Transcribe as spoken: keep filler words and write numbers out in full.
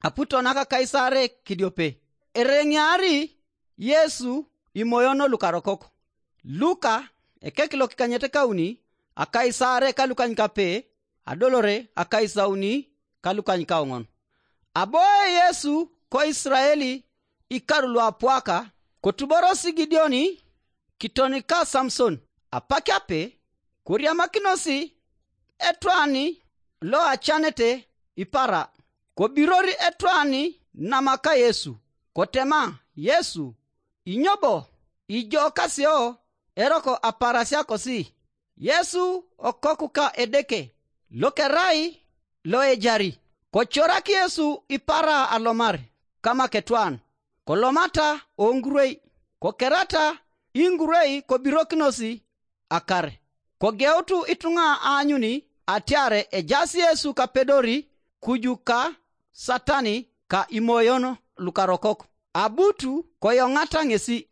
aputo naka Kaisare kidiope. Ereŋiari Yesu imoyono lukarokok. Luka ekek lokikanyet kauni akaisare kalukany kape adolore akaisauni kalukany kaoŋon. Aboe Yesu ko Israeli ikaru luapuaka kotuborosi Gideoni kitonika Samson. Apak ape koriamakinosi etwani lo acanete ipara, kobirori etwani namaka Yesu, kotema Yesu, inyobo ijo kasio eroko aparasia kosi? Yesu okoku ka Edeke lokerai loejari. Kocorak Yesu ipara alomar kamaketwan, kolomata oŋgurwei, kokerata iŋgurwei kobirokinosi akar. Kogeutu ituŋa aanyuni atiar ejaas Yesu kapedori kuju ka Satani ka imoyon lukarokok. Abutu koyoŋata ŋesi.